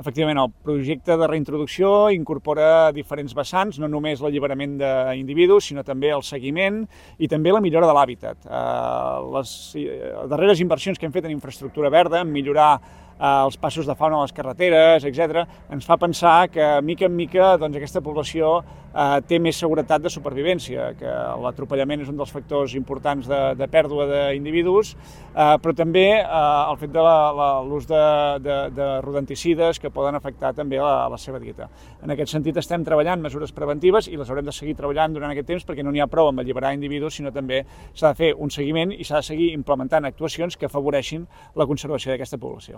Efectivament, el projecte de reintroducció incorpora diferents vessants, no només l'alliberament d'individus, sinó també el seguiment i també la millora de l'hàbitat. Les darreres inversions que hem fet en infraestructura verda, en millorar els passos de fauna a les carreteres, etc., ens fa pensar que, mica en mica, aquesta població té més seguretat de supervivència, que l'atropellament és un dels factors importants de pèrdua d'individus, però també el fet de l'ús de rodenticides que poden afectar també la seva dieta. En aquest sentit estem treballant mesures preventives i les haurem de seguir treballant durant aquest temps perquè no n'hi ha prou amb alliberar individus, sinó també s'ha de fer un seguiment i s'ha de seguir implementant actuacions que afavoreixin la conservació d'aquesta població.